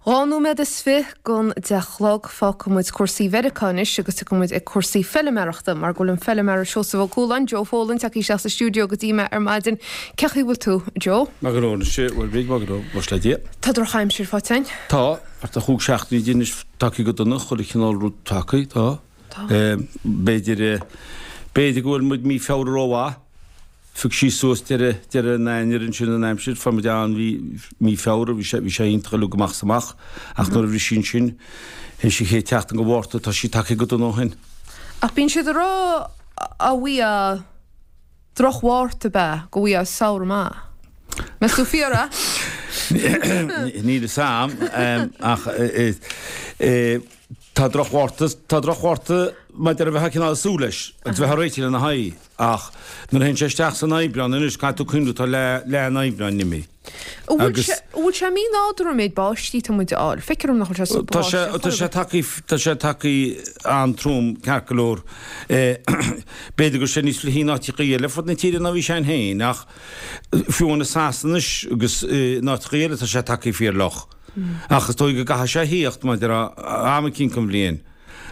2 nóiméad is fi gon 10 a chlog. Fágfaidh muid cúrsaí Mheiriceá anois agus tiocfaidh muid ag cúrsaí feiliméarachta mar go bhfuil an feiliméara Seosamh Ó Cualáin, Joe Folan, tagtha isteach sa stiúideo go dtí mé ar maidin. Cé chaoi bhfuil tú, Joe? Maith go leor anois, bhuel Bríd, maith go leor, muis le Dia. Tá drochaimsir faighte againn. Tá, ach tá chúig seachtainí di anois tagtha go dona, chuile chineál rud tagtha, tá. Tá. B'fhéidir, b'fhéidir go bhfuil muid mí Feabhra rómhaith. Phioc sí suas deireadh, deireadh an Eanáir ansin an aimsir, fuair muid an, bhí, mí Feabhra, bhí sé, bhí sé iontach uilig amach is amach ach nuair a bhris sí ansin, théis an chéad tseachtain de Mhárta, tá sí tagtha go dona ó shin. Ach bíonn siad ag rá a bhfaighfeá droch-Mhárta ab ea go bhfaighfeá samhradh maith. Meas tú fíor é? Níl fhios a'm ach tá droch-Mhárta, tá droch-Mhárta maidir a bheith cineál ag súil leis agus bheith ag réiteach lena haghaidh. Ach nuair a théann sé isteach san Aibreán anois, caithfidh tú cuimhneamh, tá leath, leath an Aibreáin imithe. An bhfuil sé, an bhfuil sé mí-nádúrtha an méid báistí atá muid a fháil? Feictear dom nach bhfuil sé sa Tá sé, tá sé tagtha, tá sé tagtha an-trom, ceart go leor. B'fhéidir go bhfuil sé níos fliche in áiteachaí eile fud na tíre ná bhí sé ann féin, ach fiú amháin i Sasana anois agus in áiteachaí eile tá sé tagtha fíor-fhliuch. Ach is dóigh go gcaithfidh sé a thíocht, maidir le am eicínt den bhliain.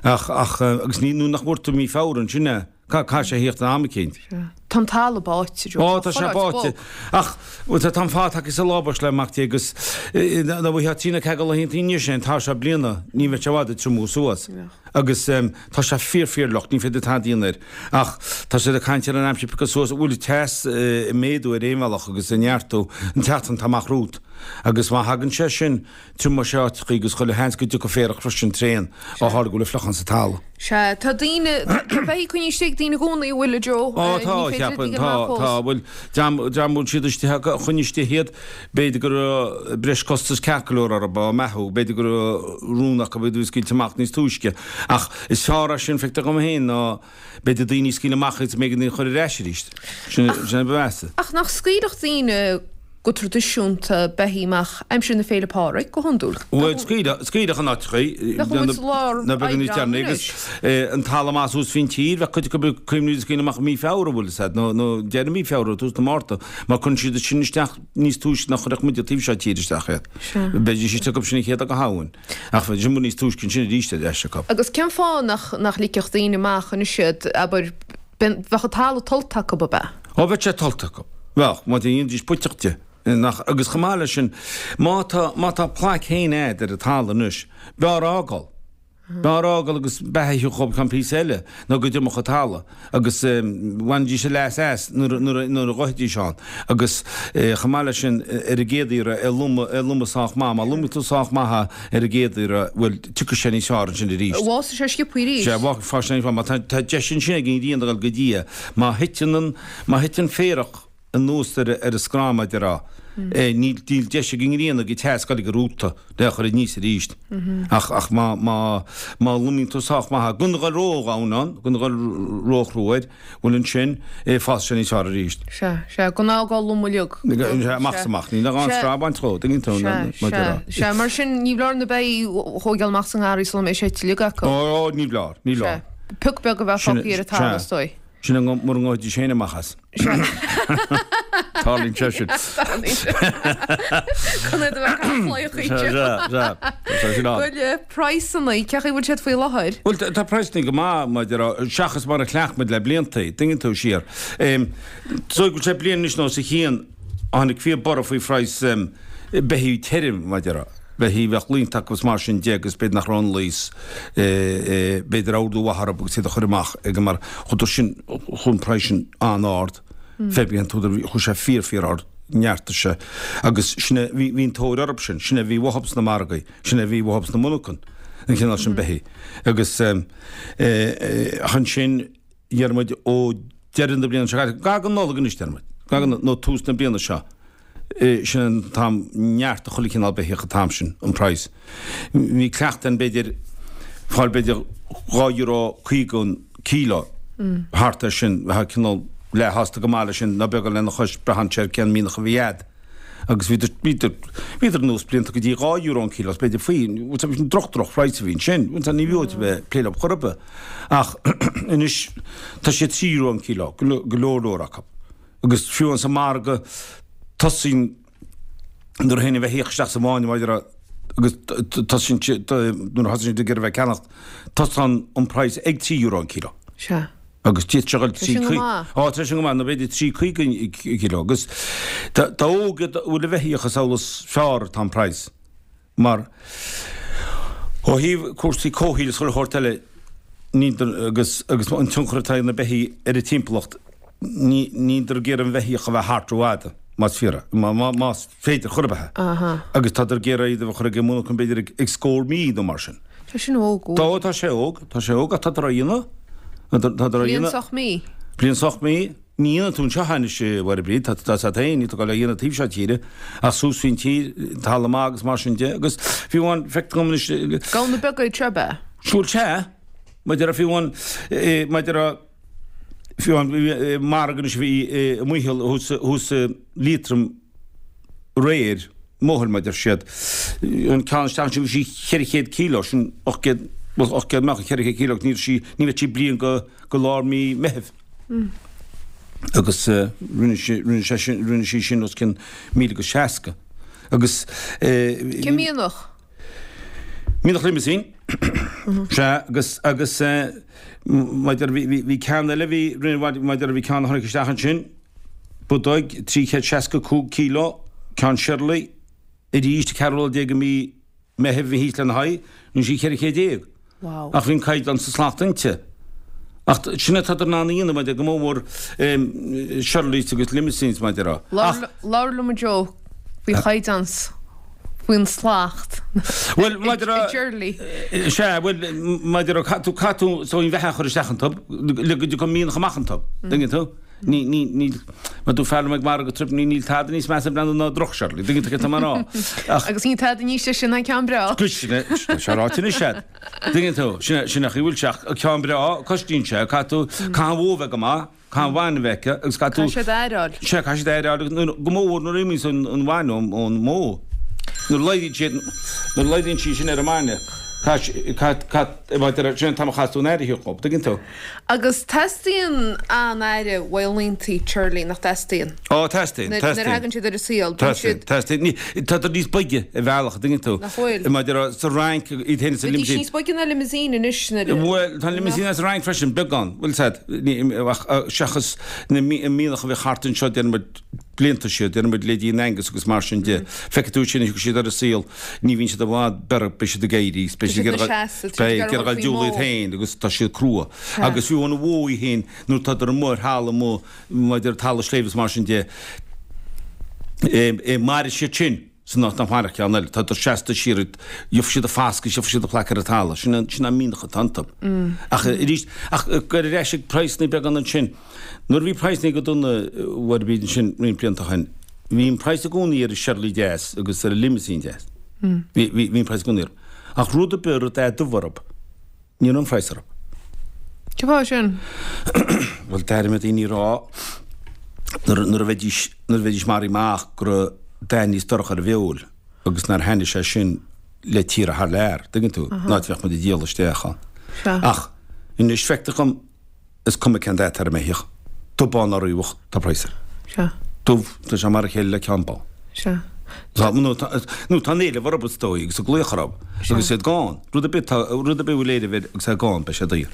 Ach, ach, agus ní, nuair nach bhfuair tú mí Feabhra ansin é. Caithfidh sé a thíocht in am eicínt. Sea. Tá an talamh báite, Joe. Ó, tá sé báite. Ach, bhuel, tá an fáth tagtha sa lábais le Mac Dé agus dá bhfaighfeá trí nó ceathair de laethanta anois é an t-am seo bliana, ní bheadh sé i bhfad ag triomú suas. Agus tá sé fíor, fíor fhliuch, ní féidir tada a dhéanamh air. Ach tá siad ag caint ar an aimsir piocadh suas, bhfuil teas ag méadú ar aon bhealach agus ag neartú an tseachtain atá amach romhat. Agus má thagann sé sin, Triomóidh sé áiteachaí agus chuile sheans go dtiocfaidh féarach freisin tréan ó tharla go bhfuil an fliuchán sa talamh. Sea, tá daoine, tá beithígh coinnithe istigh ag daoine i gcónaí, an bhfuil, a Joe? Ó, tá, cheapfainn, tá, tá, bhuel, dream, dream a bhfuil siad istigh acu, a choinnigh istigh iad, b'fhéidir go raibh breis costas ceart go leor orthu, á mbeathú, b'fhéidir go raibh rún acu iad a scaoilt amach níos túisce. Ach is fearr é sin, feictear dhom féin, ná b'fhéidir daoine a scaoileadh amach agus b'éigean iad a chur ar ais arís. Sin, sin a ba mheasa. Ach nach scaoilfeadh daoine go traidisiúnta beithígh amach aimsir na Féile Pádraig, go hiondúil? Bhuel, scaoileadh, scaoileadh in áiteachaí, Bheadh muid sa lár na beaga níos Aibreán deireanaí agus anois. an talamh maith suas faoin tír, bheadh cuid acu ag cuimhniú iad a scaoileadh amach i mí Feabhra, bhfuil fhios a'd, nó, nó deireadh mí Feabhra, tús na Márta, mar cuireann siad sin isteach níos túisce ná chuirfeadh muide taobh seo tíre isteach iad. Sea. Bheidís istigh acu sin an chéad lá de Shamhain. Ach bheidís amuigh níos túisce ansin arís ar ais acu. Agus cén fáth nach, nach ligfeadh daoine amach anois iad, abair, bheadh an talamh tollta acu, ab ea? Ó, bheadh sé tollta acu. Bheadh, má dhéanfaidís puiteach de. Nach, agus chomh maith leis sin, má tá, má tá plaic féin a'd ar an talamh anois, b'fhearr a fhágáil. B'fhearr a fhágáil agus beatha a thiocfadh ceann píosa eile ná go dtriomódh an talamh agus bhainfidís a leas as nuair a ghoithfidís ann agus chomh maith leis sin ar an gcéad iarraidh é a lomadh sách maith, má lomaíonn tú sách maith é ar an gcéad iarraidh, bhuel, tiocfaidh sé níos fearr ansin arís. Fásfaidh sé sciobthaí arís. Sea, fásfaidh sé níos fearr. Má tá deis ansin ag an ghrian a dhul go dtí é, má thiteann an, má thiteann féarach anuas ar an screamh, mar a déarfá. Níl deis ag an ngrian ag an teas dul ag an rúta le a chur aníos arís. Ach ach má má má lomaíonn tú sách maith é, gan a dhul ródhomhain ann, gan a dhul róchrua air, bhuel ansin fásfaidh sé níos fearr arís. Sea, sea, gan a fhágáil lom uilig. Sea, amach is amach. Níl ach an screamh a bhaint dhó, tuigeann tú, mar a déarfá. Sea, sea, mar sin ní foláir na beithígh a thóigeáil amach sa ngarraí sula mbeidh sé ite uilig acu. Ó, ní foláir, ní foláir. Sea, pioc beag a bheith fágtha ar an talamh is dóigh. Sin é mura ngabhfaidís féin amach as. Tarlaíonn sé sin. Chun é do bheith cathláíoch Sea, sea, tá sé sin ann. Bhuel, praghsanna, cé chaoi bhfuil siad faoi láthair? Bhuel, tá praghsanna go maith, mar a déarfá, seachas mar a chleacht muid le blianta, tuigeann tú, siar. So, go bhfuil sé bliain anois nó os a chionn, tháinig fíor borradh faoi phraghas beithígh tirim, mar a déarfá. Beithígh a bheadh líonta acu is mar sin de agus b'fhéidir nach raibh an leigheas, b'fhéidir ordú mhaith orthu agus iad a chur amach ag mar chuadar sin, chuaigh an praghas sin an-ard, fé bhí an t-údar, chuaigh sé fíor fíor ard, neartaigh sé agus sin é, bhí an tóir orthu sin, sin é a bhí uathub sna margaí, sin é a bhí uathub sna monarchain, an cineál sin beithígh. Agus ach ansin déarfaidh muid ó deireadh na bliana seo caite, gar don Nollaig anois déarfaidh muid, gar don, nó tús na bliana seo, Sin an t-am neartaigh chuile chineál beithíoch an t-am sin, an praghas. Bhí cleachtadh ann b'fhéidir fáil b'fhéidir €2.50 an kilo, thart ar sin, bheifeá cineál leathshásta go maith leis sin, ná beag lena chois, braitheann sé ar cén mianach a bhí a'd. Agus bhíodar, bhíodar, bhíodar anuas blianta go dtí €2 an kilo, is b'fhéidir faoi, sin droch, droch phraghas a bhí ansin, ní bhfiú duit a bheith ag plé leo chor ar bith. Ach anois tá sé €3 an kilo, go leor leor acu. Agus fiú sa margadh, tosaíonn nuair a théann an bheithíoch isteach sa bhfáinne, mar a déarfá. Agus tosaíonn siad, nuair a thosaíonn siad ag iarraidh bheith ag ceannacht, tosaíonn an praghas ag €3 an kilo. Sea. Agus d'fhéadfadh sé a dhul Tá sin go maith. Á, tá sin go maith, nó b'fhéidir 3.50 an kilo. Agus dá óige a bhfuil an bheithíoch is amhlaidh is fearr atá an praghas. Mar ó thaobh cúrsaí comhshaoil is chuile shórt eile, ní, agus, agus an tionchar atá ag na beithígh ar an timpeallacht, ní, níltear ag iarraidh an bheithíoch a bheith thart rófhada, más fíor é, má, má, más féidir chor ar bith é. Agus tádar ag iarraidh iad a bheith curtha ag an monarcha b'fhéidir ag, ag scór mí nó mar sin. Tá sin óg, Tá, tá sé óg, tá sé óg ach tádar á dhéanamh, tádar á Bliain 's 8 mí. Bliain 's 8 mí. Ní dhéanann tú anseo anois, a Mháire Bríd, tá tá a fhios agat féin, níl tú ag dul á dhéanamh taobh seo tíre, ach suas faoin tír, talamh maith agus mar sin de, agus fiú amháin, feictear dom anois, Gamhna beaga iad seo, ab ea? Siúl sea, maidir le fiú amháin, maidir le fiú amháin, margadh anois a bhí i Maothail thuas, thuas i Liatroim aréir, Maothail mar a deir siad, an ceann isteach ansin bhí sí 400 kilo, sin 800, bhuel 800 meáchan, 400 kilo agus ní raibh sí, ní bheadh sí bliain go, go lár mí Meithimh. Agus rinne sí, rinne sé sin, rinne sí sin os cionn 1060. Agus. Cén mianach? Mianach Limousin. Sea, agus, agus maidir, bhí, bhí, bhí ceann eile, bhí, rinne, maidir, bhí ceann a tháinig isteach ansin, bodóg, 365 kilo, ceann Shirley, arís, 14 lá de mhí Meitheamh bhí thíos lena haghaidh, rinne sí 14 chéad. Wow. Ach bhí an caighdeán sa slacht inti. Ach sin atá in ann a dhéanamh maidir go mór mór Shirleys agus Limousins maidir a. Ach. Labhair liom a Joe faoi chaighdeán faoin slacht. Bhuel maidir a. Shirley. Sea, bhuel maidir a caithfidh tú caithfidh tú so an bheatha a chur isteach iontu le go dtiocfaidh mianach amach iontu. Tuigeann tú? Ní, ní, níl, mar dúirt fear liom ag margadh trip, ní, níl tada níos measa breathnú ná droch-Shirley, tuigeann tú céard tá mé a rá. Ach. Agus níl tada níos deise ná ceann breá. Sin é, tá sé ráite anois a'd. Tuigeann tú, sin é, sin é an chaoi a bhfuil sé, ach ceann breá, cosnaíonn sé, caithfidh tú, caithfidh an bhó a bheith go maith, caithfidh an bhainne a bheith aici, agus caithfidh tú. Caithfidh siad aireáil. Sea, caithfidh siad aireáil, agus nuair, go mór mhór nuair a imíonns an, an bhainne ón, ón mbó. Nuair a laghdaíonn siad, nuair a laghdaíonn sí sin ar an mbainne, caithfidh, caithfidh, caithfidh, sin an t-am a chaithfeas tú an aire a thabhairt dhób, tuigeann tú. Agus teastaíonn an-aire uaidh laethanta Shirley, nach dteastaíonn? Ó, teastaíonn, teastaíonn. Nuair a thagann siad ar an saol, bíonn siad. Teastaíonn, teastaíonn. Tádar níos boige ar bhealach, an dtuigeann tú? Nach bhfuil? Maidir le sa Fhrainc, iad féin sa Limousin. Bhídís níos boige ná Limousin anois nuair a. Bhuel, tá an Limousin as an Fhrainc freisin, beagán, bhfuil 's a'd, ach seachas na mianach a bhíodh thart anseo, déarfaidh muid, blianta siar, déarfaidh muid leithéidí an Angus agus mar sin de. Feicfidh tú sin, thiocfaidh siad ar an saol, ní bhíonn siad i bhfad beirthe, beidh siad ag éirí, beidh siad ag iarraidh dul diúl iad féin agus tá siad crua. Agus fiú an bhó í féin, nuair atádar amuigh ar thalamh amuigh, maidir le talamh sléibhe is mar sin de, mairfidh siad sin san áit nach mairfeadh ceann eile. Tádar seasta siar, gheobhaidh siad a fascadh, gheobhaidh siad a phlaic ar an talamh. Sin an mianach atá iontu. Ach arís, ach ag ar ais ag praghsanna beagán ansin. Nuair a bhí praghsanna go dona a Mháire Bríd ansin roinnt blianta ó shin, bhí an praghas i gcónaí ar an Shirley deas agus ar an Limousin deas. Bhí, bhí, bhí an praghas i gcónaí orthu. Ach rud ar bith a raibh dath dubh orthu, ní raibh an praghas orthu. Cén fáth sin? Bhuel, d'airigh mé daoine ag rá nuair, nuair a bheidís, nuair a bheidís maraithe amach go raibh dath níos dorcha ar a bhfeoil agus nár thaitnigh sé sin le tíortha thar lear, tuigeann tú, an áit a bheadh muid ag díol isteach ann. Ach anois feictear dhom, Is cuma cén dath atá ar an mbeithíoch, dubh bán ná riabhach, tá praghas air. Sea. Dubh, tá sé mar a chéile le ceann bán. Sea. Tá, nó tá, nó tá an éileamh orthu is dóigh agus an glaoch orthu. Sea. Agus iad gann. Rud ar bith, tá, rud ar bith a bhfuil éileamh air agus é gann, beidh sé daor.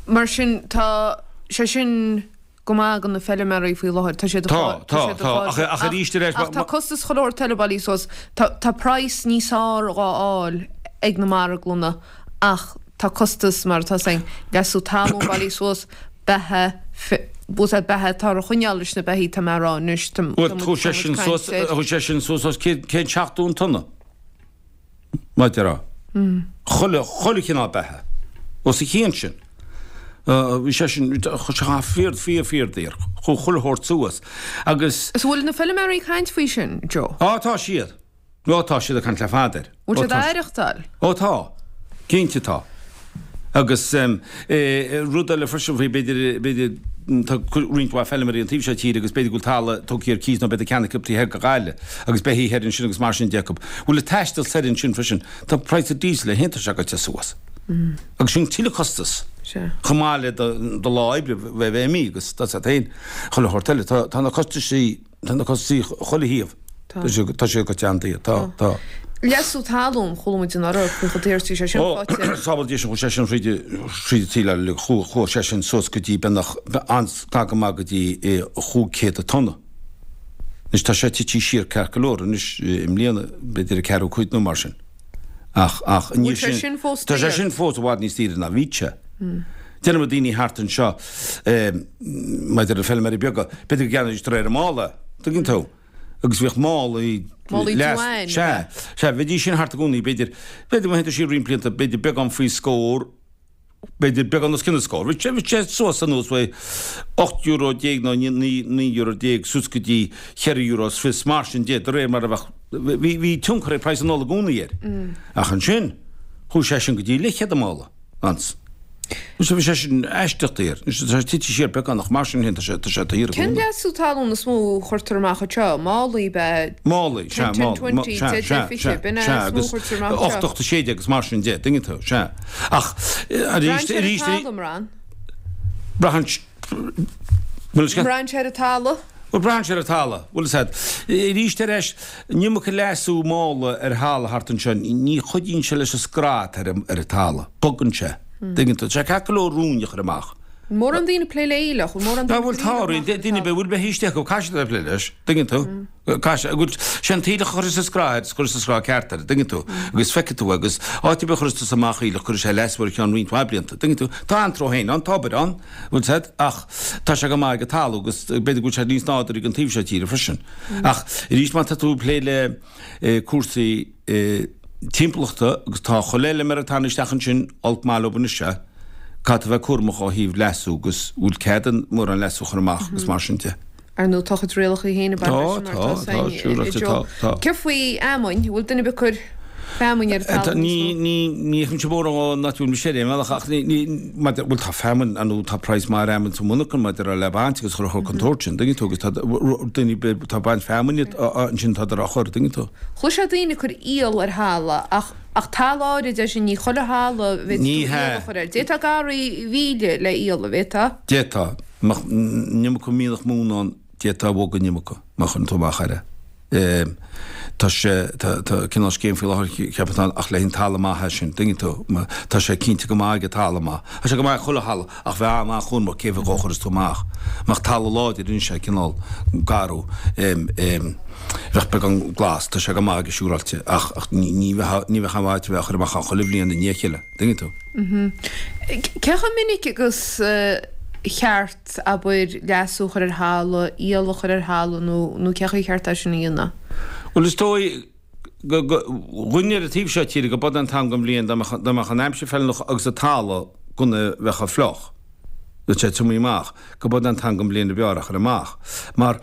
Mar sin, tá sé sin go maith do na feilméaraí faoi láthair. Tá siad ag Tá, fáil, tá tá, siad ag tá, fáil, ach, ach arís ar ais, ach tá costas chuile shórt eile bailithe suas. Tá, tá praghas níos fearr dhá fháil ag na marglanna ach Tá costas, mar atá 's againn, leasú talún bailithe suas, beatha, bhfuil beatha atá ar choinneáil leis na beithígh, tá mé a rá anois, tá Bhuel, chuaigh sé sin suas, chuaigh sé sin suas os 170 an tonna, mar a déarfá. Chuile, chuile chineál beatha. Os a chionn sin. Bhí sé sin, chuaigh sé fíor, fíor, fíor daor. Chuaigh chuile shórt suas. Agus. Is bhfuil na feilméaraí ag caint faoi sin, Joe? Á, tá siad. Ó tá siad ag caint le fada air. Bhfuil siad á aireachtáil? Ó tá. Cinnte tá. Agus rud eile freisin faoi, b'fhéidir, b'fhéidir, tá roinnt mhaith feilméaraí an taobh seo tíre agus b'fhéidir go bhfuil talamh tugtha ar cíos nó b'fhéidir ceannaithe acu taobh thoir de Ghaillimh agus beithígh thoir ansin agus mar sin de acu. Bhfuil an taisteal soir ansin freisin, tá praghas an diesel féin tá sé gaibhte suas. Agus sin tuilleadh costas. Chomh maith le do lá oibre bheith imithe agus tá sé féin chuile shórt eile. Tá na costaisí Tá na costaisí chuile thaobh. Tá. Tá sé, tá sé go teanntaí. Tá, tá. Leasú talún, chuala muid anuraidh faoi chomh daor is a bhí sé sin Ó, faighte. sábháil Dia sinn, chuaigh sé sin thríd thríd an tsaol uilig, chuaigh, chuaigh sé sin suas go dtí beagnach, an-ghar go maith go dtí 500 an tonna. Anois tá sé tite siar ceart go leor anois i mbliana, b'fhéidir ag ceathrú cuid nó mar sin. Ach, ach, Bhfuil sé sin fós Tá sé daor? sin fós i bhfad níos daoire ná bhí sé. Déarfaidh muid daoine thart anseo, maidir le feilméaraí beaga, b'fhéidir go gceannaídís de réir an mhála, tuigeann tú? Agus bhíodh málaí Málaí leas, uain, sea, sea, bheidís sin thart i gcónaí, b'fhéidir, b'fhéidir má théann tú siar roinnt blianta, b'fhéidir beagán faoi scór, b'fhéidir beagán os cionn an scór. Bhí sé, bhí sé suas anuas faoi €18 nó €19 suas go dtí cheithre euro is fiche, mar sin de, de réir mar a bheadh, bhí, bhí tionchar ag praghas an ola i gcónaí air. Ach ansin, chuaigh sé sin go dtí leathchéad an mála. Ans. Anois bhí sé sin aisteach daor. Anois tá sé tite siar beagán ach mar sin féin tá sé tá sé daor i Cén gcónaí. leasú talún is mó a chuirtear amach anseo? Málaí ab ea? Málaí, sea, 10, 10, málaí, 20, sea, 10, sea, 10, 20, sea, b'in é sea, is mó a agus chuirtear amach anseo. 8, 8, 16 agus mar sin de, tuigeann tú, sea. Ach Braitheann arís, sé ar an arís, talamh, an mbraitheann? Braitheann sé, bhfuil a fhios agat? Braitheann sé ar an talamh? Bhuel, braitheann sé ar an talamh, bhfuil a fhios agat. Arís ar ais, an iomarca leasú mála ar thalamh thart anseo, ní chuidíonn sé leis an scraith atá ar an talamh. Bogann sé. Tuigeann tú? Tá sé ceart go leor ruainne a chur amach. Mórán daoine ag plé le aoileach, bhfuil mórán daoine Bhuel, tá, daoine, bhfuil beithígh istigh acu, caithfidh siad a bheith ag plé leis. Tuigeann tú? Caithfidh, bhuel, sé an t-aoileach a chuirfeas an scraith air, is cuirfeas an scraith ceart air, tuigeann tú? Agus feicfidh tú, agus áit ar bith a chuirfeas tusa amach aoileach, cuirfidh sé leasú ar cheann roinnt mhaith blianta, tuigeann tú? Tá antró féin ann, tá obair ann, bhfuil a fhios agat, ach tá sé go maith ag an talamh agus b'fhéidir go bhfuil sé níos nádúrtha ag an taobh seo tíre freisin. Ach arís má tá tú ag plé le cúrsaí timpeallachta agus tá chuile fheilméara ag tarraingt isteach ansin, olc maith leo anois é, caithfidh tú a bheith cúramach ó thaobh leasú agus bhfuil cead an mórán leasú a chur amach agus mar sin de. Ar ndóigh, tá a chuid rialacha féin ag baint leis sin mar Tá, atá tá, tá, againn siúráilte, i tá, Joe. tá. Céard faoi fheamainn? Bhfuil duine ar bith ag cur feamainn ar an Tá, talamh ní, níos mó? ní, ní fheicimse mórán an áit a bhfuil mise ar aon bhealach ach ní, ní, maidir, bhuel tá feamainn, ar ndóigh, tá praghas maith ar fheamainn sa mhonarcha maidir le baint agus chur chur contúirt sin, tuigeann tú, agus tá daoine, tá baint feamainne ansin tá á chur, tuigeann tú. Chloisfeá daoine ag cur iall ar thalamh ach, ach talamh áirid é sin, ní chuile thalamh a bhféadfadh Ní tú iall hea. a chur air. D'fhéadfá garraí mhíle le iall, an bhféadfá? D'fhéadfá. Mbeadh an iomarca mianach móna ann, d'fhéadfá a bhogadh an iomarca, má chuireann tú amach air é. Tá sé, tá, tá cineál scéim faoi láthair, ceapaim ann, ach le haghaidh an talamh maith é sin, tuigeann tú. Tá sé cinnte go maith ag an talamh maith. Tá sé go maith ag chuile thalamh, ach bheith an-chúramach cé mhéad dhó a chuireas tú amach. Mbeadh talamh láidir anois é cineál garbh, bheadh beagán glas, tá sé go maith aige siúráilte, ach, ach ní, ní bheadh, ní bheadh an-mhaith a bheith á chur amach ann chuile bhliain i ndiaidh a chéile. Tuigeann tú? Cé chomh minic agus cheart, abair, leasú a chur ar thalamh, iall a chur ar thalamh nó nó cé chaoi cheart é sin a dhéanamh? Bhuel, is dóigh go, go, dhúinne ar an taobh seo tíre go b'fhada an t-am den bhliain dá mbeadh, dá mbeadh an aimsir feiliúnach agus an talamh gan a bheith chomh fliuch, bheadh sé tiomnaithe amach, go b'fhada an t-am den bhliain a b'fhearr a chur amach. Mar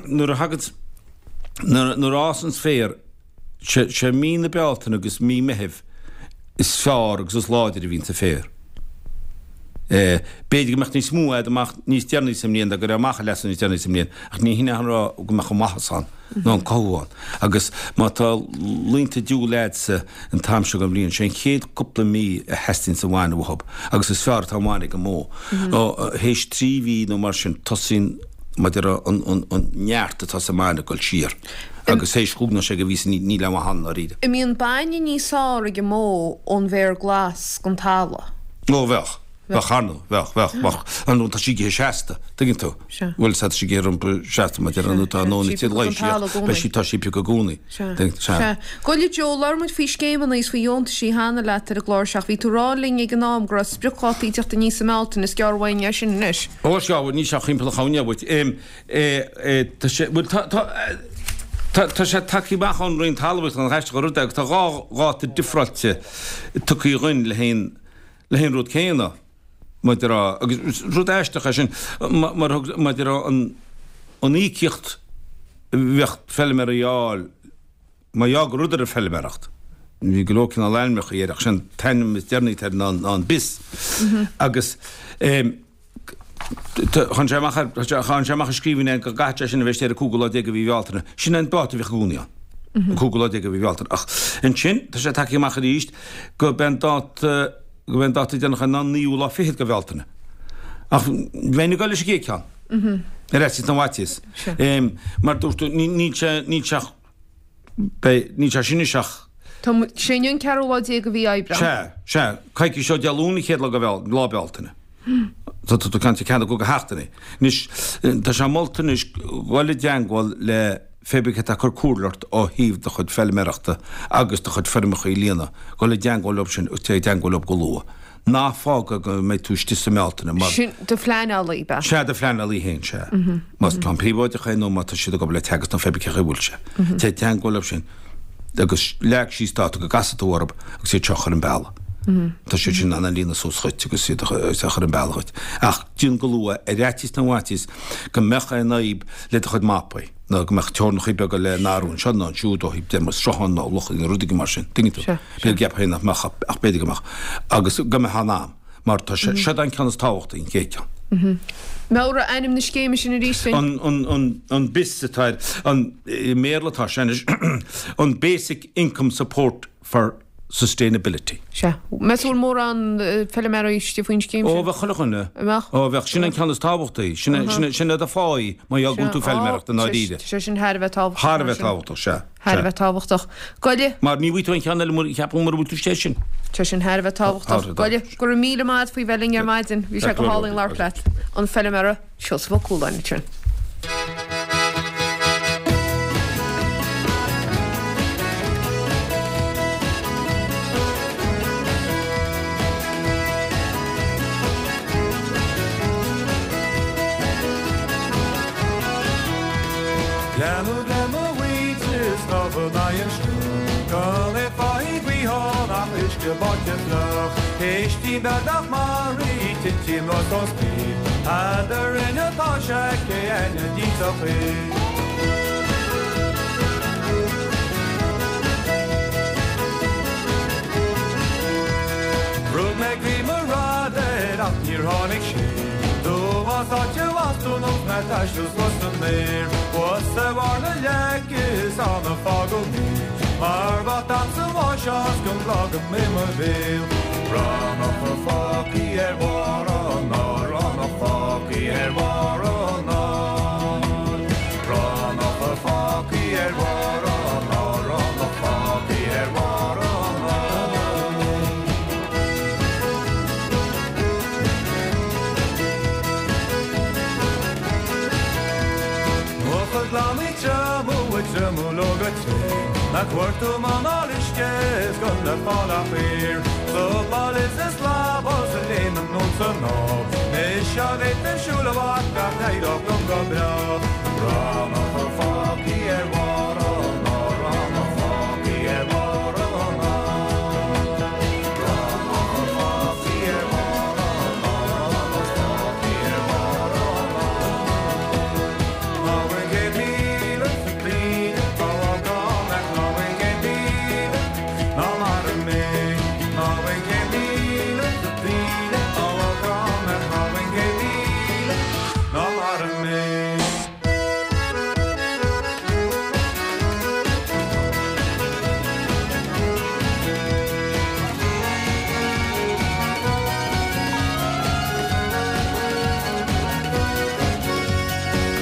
nuair a thagann, nuair, nuair a fhásanns féar, Sé mí na Bealtaine agus mí Meithimh is fearr agus is láidre a bhíonns an féar. B'fhéidir go mbeadh níos mó a'd amach níos deireanaí sa mbliain dá gcuirfeá amach an leasú níos deireanaí sa mbliain ach ní hin é a rá go mbeadh an maitheas ann ná an cothú ann. Agus má tá laethanta diabhail a'dsa an t-am seo den bhliain, sé an chéad cúpla mí a theastaíonns an bhainne uathub agus is fearr atá an bhainne ag an mbó. Théis 3 mhí nó mar sin tosaíonn maidir an neart atá sa mbainne ag dul siar. Agus théis chúig nó sé de mhíosa níl aon mhaith ann ndáiríre. An mbíonn bainne níos fearr ag an mbó ón bhféar glas gon talamh. Ó bheadh. Bheadh, ar ndóigh. Bheadh, bheadh, bheadh. Ar ndóigh tá sí ag ithe seasta, tuigeann tú. Sea. Bhuel, sea, tá sí ag ithe rompu seasta, mar deir an tá an Sea, tí piocadh leighis don talamh i gcónaí. Beidh sí, tá sí ag piocadh i gcónaí. Sea. Tuigeann tú, sea. Sea. Gabh i leith Joe, labhair muid faoi scéimeanna is faoi dheontaisí cheana leat ar an gclár seo ach bhí tú ag rá linn ag an am go raibh spriocdhátaí ag teacht aníos i mBealtaine, is gearr uainn é sin anois. Ó, sea, bhuel, níl sé ach thimpeall an chúinne uait. Tá sé, bhuel, tá, tá, tá, tá sé tagtha amach ón Roinn Talmhaíochta an aisteach an rud é agus tá dhá dháta difreáilte tugtha dhuinn le haghaidh an, le haghaidh an rud céanna, maidir a, agus rud aisteach é sin, mar thug, maidir a an, an íocaíocht a bheadh feilméaraí a fháil, mar gheall gur rud ar an feilméaracht, bhí go leor cineál ainmneacha air ach sé an t-ainm is deireanaí atá air ná, ná an BIS agus. Tháinig sé amach, tháinig sé amach i scríbhinn é go gcaithfidh sé sin a bheith istigh ar an cúigiú lá déag de mhí Bhealtaine. Sin an dáta a bhíodh i gcónaí ann, an cúigiú lá déag de mhí Bhealtaine. Ach ansin, tá sé tagtha amach arís go b'é an dáta, go b'é an dáta deireanach ná an naoú lá fichead de Bhealtaine. Ach bheinn ag dul leis an gcéad ceann. Ar fhaitíos na bhfaitíos. Mar dúirt tú, níl sé, níl sé ach. Beidh, níl sé sin anois ach. Tá, sé inniu an ceathrú lá de mhí Aibreán. Sea, sea, coicís ó Dé Luain an chéad lá de Bheal, lá Bealtaine. Tá tú ag caint ar ceann de sheachtainí. Anois, tá sé molta anois dhul i dteangmháil le pé bith cé atá ag cur comhairle ort ó thaobh do chuid feilméarachta agus do chuid feirmeacha a líonadh, dhul i dteangmháil leo sin agus téigh i dteangmháil leo go luath. Ná fág go mbeidh tú istigh sa mBealtaine mar. Sin do phleanálaí, ab ea? Sea, do phleanálaí féin, sea. Más ceann príobháideach é nó má tá siad ag obair le Teagasc nó pé bith cé chaoi a bhfuil sé. Téigh i dteangmháil leo sin agus leag síos dáta go gcasfaidh tú orthu agus iad seo a chur ar an bealach. Tá siad sin in ann a líonadh suas dhuit agus iad a chur ar an bealach dhuit. Ach déan go luath ar fhaitíos na bhfaitíos go mbeadh aon fhadhb le do chuid mapaí nó go mbeadh teorainneacha beaga le n-athrú anseo nó ansiúd ó thaobh déanamh sruthán nó locha nó rudaí mar sin. Tuigeann tú? B'fhéidir go gceapfá nach mbeadh ach b'fhéidir go mbeadh. Agus go mbeifeá in am. Mar tá sé, seo an ceann is tábhachtaí, an chéad ceann. Meabhraigh ainm na scéime sin arís dúinn. An, an, an BISS atá air, an, i mBéarla atá sé anois, an Basic Income Support for Sustainability. Sea. Meas tú bhfuil mórán feilméaraí istigh faoin scéim sin? Ó, bheadh chuile dhuine. An mbeadh? Ó, bheadh. Sin an ceann is tábhachtaí. Sin é, sin é, sin é do pháí má fhágann tú feilméaracht i ndáiríre. Tá sé sin thar a bheith tábhachtach. Thar a bheith tábhachtach, sea. Thar a bheith tábhachtach. Goile. Mar ní bhfaighidh tú aon cheann eile mura, cheapfainn mura bhfuil tú istigh air sin. Tá sin thar a bheith tábhachtach. Goile, go raibh míle maith agat faoi bheith linn ar maidin. Bhí sé go hálainn labhairt leat. An feilméara. Seosamh Ó Cualáin ansin. Leanadh le mo mhuintir snámh in aghaidh an srutha, Gan é faighidh gaoithe ach uisce báite fliuch. Éistín beag nach maraí, titim anuas ón spéir, Eadrainn atá sé, cé againne a d'inseodh í? Rug mé go mo radar ach níor tháinig sé. Dubhás áit a bhfas tú nós mé taisteal suas san aer. Thuas ar bharr na leice is ann a fágadh mé. Mar ba damsa bháiseach go mblágam i mo bhéal. Rannach fágthaí ar bharr an áir, rannach fágthaí ar bharr an áir. Rannach fágthaí ar bharr an áir, rannach fágthaí ar bharr an áir. Mucha glan Triomú ag triomú leo go tréan, Nach bhfuair tú m'anáil uisce is gan le fáil ach aer. Sa bhaile is is lámh sa léim anonn 's anall. Mise a bhféadfainn siúl i bhfad gach éireach liom go breá. Rannach fágthaí ar bharr an áir, rannach fágthaí ar bharr an áir. Rannach fágthaí ar bharr an áir, rannach fágthaí ar bharr an áir.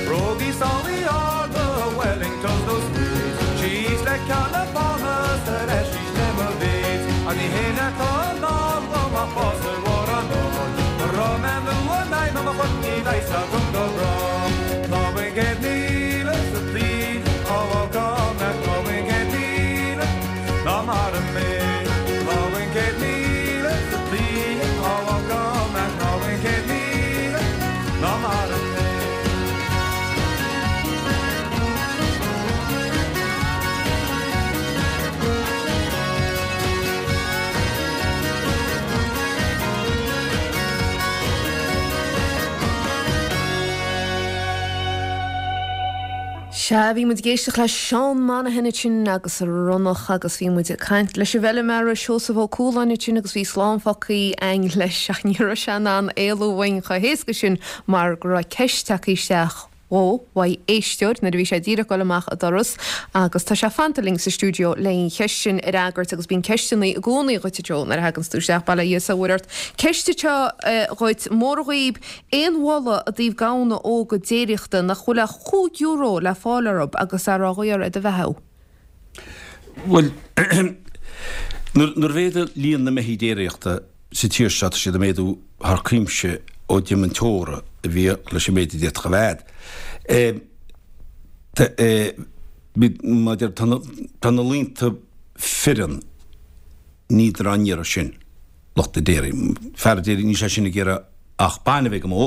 Brógaí sálaí arda, Wellingtons nó Suede, Síos le Ceann na Fána 's ar ais arís le mo mhéid. Ach ní hé atá i ndán dom ach bás ar bharr an áir. Mura mbeidh nua mbeidh mo chuid ní bheidh 's agam go bráth. Ná bain 100,000 sa tsaoil, á bhfágáil ach ná bain 100,000 ná maraigh mé. Ná bain 100,000 sa tsaoil, á bhfágáil ach ná bain 100,000 ná maraigh mé. Sea, bhí muid ag éisteacht le Seán Monaghan ansin agus Ronnach agus bhí muid ag caint leis an bhfeilméara Seosamh Ó Cualáin ansin agus bhí slán fágtha againn leis ach ní raibh sé in ann éalú uainn chomh héasca sin mar go raibh ceist tagtha isteach dhó uaidh éisteoir nuair a bhí sé díreach ag dul amach an doras agus tá sé fanta linn sa stiúideo le an cheist sin a fhreagairt agus bíonn ceisteanna i gcónaí dhuit a Joe nuair a thaganns tú isteach, bail ó Dhia is a mhuire ort. Ceist anseo dhuit, móra dhaoib, aon mholadh i dtaobh gamhna óga déiríochta nach bhfuil ach €5 le fáil orthub agus a raibh ar do bheathú? Bhuel, nuair a mhéadaigh líon na mbeithígh déiríochta sa tír seo, tá siad ag méadú thar cuimse ó d'imigh an teora a bhíodh leis an méid a d'fhéadfadh a bheith a'd. Maidir, tá na laonta fireann, níldar á n-iarraidh sin, lucht an déirí. Fear déirí, níl sé sin ag iarraidh ach bainbh ag an mbó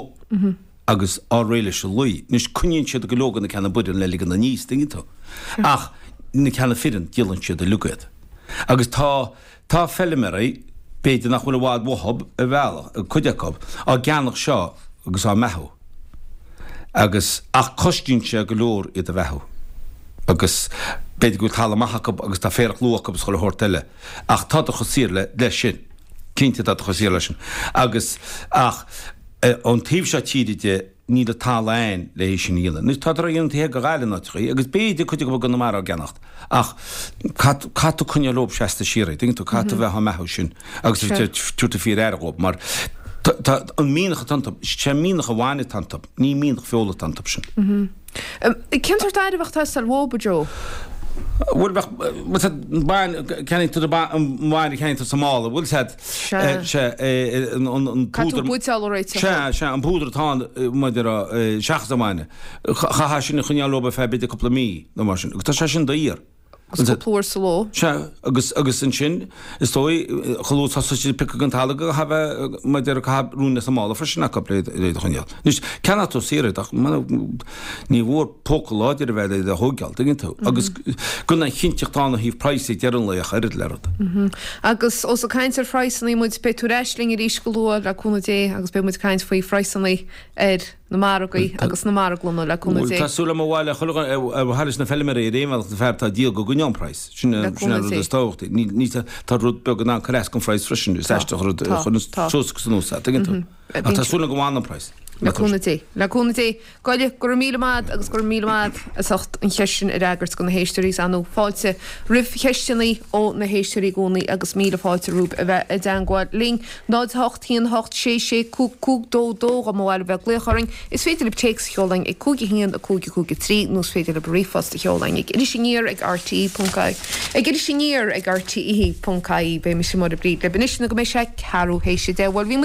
agus fháil réidh leis an lao. Anois, coinníonn siad go leor de na ceanna baineann le ligean aníos, tuigeann tú. Ach na ceanna fireann, díolann siad uilig iad. Agus tá, tá feilméaraí, b'fhéidir nach bhfuil i bhfad uathub ar bhealach, cuid acu, á gceannach seo agus á mbeathú. Agus, ach cosnaíonn sé go leor iad a bheathú. Agus b'fhéidir go bhfuil talamh maith acu agus tá féarach luath acu is chuile shórt eile. Ach tádar chomh saor le, leis sin. Cinnte tádar chomh saor leis sin. Agus, ach, ón taobh seo tíre de, níl an talamh a'ainn le é sin a dhéanamh. Anois, tádar á dhéanamh taobh thiar de Ghaillimh in áiteachaí, agus b'fhéidir cuid acu i gConamara á gceannacht, ach caithfidh, caithfidh tú coinneáil leob seasta síoraí, dtuigeann tú, caithfidh tú bheith á mbeathú sin agus a bheith ag tabhairt fíor-aire dhóib, mar tá, tá an mianach atá iontu, sé mianach an bhainne atá iontu, ní mianach feola atá iontu sin. Cén sórt aire a bheadh ag teastáil uathub, a Joe? Bhuel, bheadh, bhuel, sea, bain, ceannaíonn tú an bainne a cheannaíonn tú sa mála, bhuel, sea, sea, an, an, an Caithfidh tú púdar, buidéal a réiteach. sea, sea, an púdar atá ann, maidir a, seachas an bhainne, chaithfeá sin a choinneáil leo ar feadh b'fhéidir cúpla mí nó mar sin, agus tá sé sin daor. Agus cúpla uair sa ló. Sea, agus, agus ansin, is dóigh, chomh luath is a thosaigh siad ag piocadh den talamh go caithfidh a bheith, mar a déarfá, caithfidh ruainne sa mála freisin acu le iad a choinneáil. Anois, ceannóidh tú saor iad ach ní mhór póca láidir a bheith le iad a thóigeáil, tuigeann tú? Agus gan aon chinnteacht ann ó thaobh praghas ag deireadh an lae ach oiread le rud. Agus ós ag caint ar phraghsannaí muid, beidh tú ar ais linn arís go luath, le cúnamh Dé, agus beidh muid ag caint faoi phraghsannaí ar na margaí agus na marglanna, le cúnamh Dé. Tá súil agam ar mhaith le chuile dhuine, ar mhaith leis na feilméaraí ar aon bhealach, na fear atá ag díol go gcoinneoidh an praghas. Sin an rud is tábhachtaí. Ní, tá rud beag in ann cur as don phraghas freisin, is aisteach an rud a chuireann suas agus anuas é, tuigeann tú. Ach tá súil agam go bhfanann an praghas. Le cúnamh Dé. Le cúnamh Dé. Goile, go raibh míle maith a'd agus go raibh míle maith a'd as ucht an cheist sin a fhreagairt do na héisteoirí. Is ar ndóigh fáilte roimh cheisteanna ó na héisteoirí i gcónaí agus míle fáilte romhaibh a bheith i dteangmháil linn. 0 8 1 8 6 6 5 5 2 2 dá mba mhaith libh bheith ag glaoch orainn. Is féidir libh téacs a sheoladh ag 5 1 5 5 3 nó is féidir libh ríomhphost a sheoladh ag irisaniar ag rte ponc ag irisaniar ag rte ponc ie. Beidh mise Máire Bríd libh anois nó go mbeidh sé ceathrú théis a deich. Bhuel bhí.